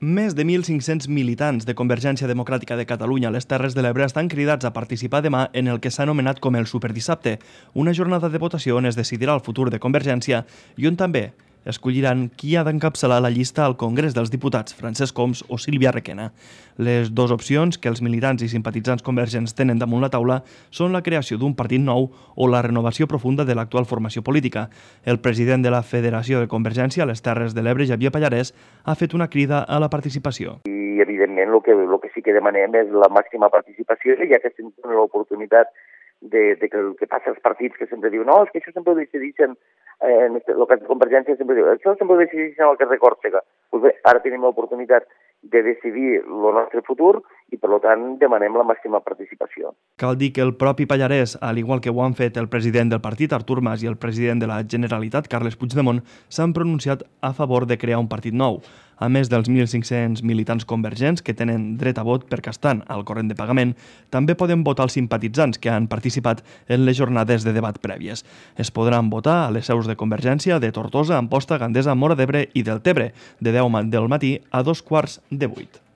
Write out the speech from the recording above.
Més de 1.500 militants de Convergència Democràtica de Catalunya a les Terres de l'Ebre estan cridats a participar demà en el que s'ha anomenat com el Superdissabte, una jornada de votació on es decidirà el futur de Convergència i on també escolliran qui ha d'encapçalar la llista al Congrés dels Diputats, Francesc Homs o Sílvia Requena. Les dues opcions que els militants i simpatitzants convergents tenen damunt la taula són la creació d'un partit nou o la renovació profunda de l'actual formació política. El president de la Federació de Convergència a les Terres de l'Ebre, Xavier Pallarès, ha fet una crida a la participació. I, evidentment, el que sí que demanem és la màxima participació, ja que estem tenint l'oportunitat de que el que passa als partits que sempre diuen no, és que això sempre ho decideixen, en el cas de Convergència sempre diu això sempre ho decideixen al carrer Còrsega. Doncs bé, ara tenim l'oportunitat de decidir el nostre futur i, per tant, demanem la màxima participació. Cal dir que el propi Pallarès, al igual que ho han fet el president del partit, Artur Mas, i el president de la Generalitat, Carles Puigdemont, s'han pronunciat a favor de crear un partit nou. A més dels 1.500 militants convergents que tenen dret a vot perquè estan al corrent de pagament, també poden votar els simpatitzants que han participat en les jornades de debat prèvies. Es podran votar a les seus de Convergència de Tortosa, Amposta, Gandesa, Móra d'Ebre i del Tebre, de 10 del matí a 2:15.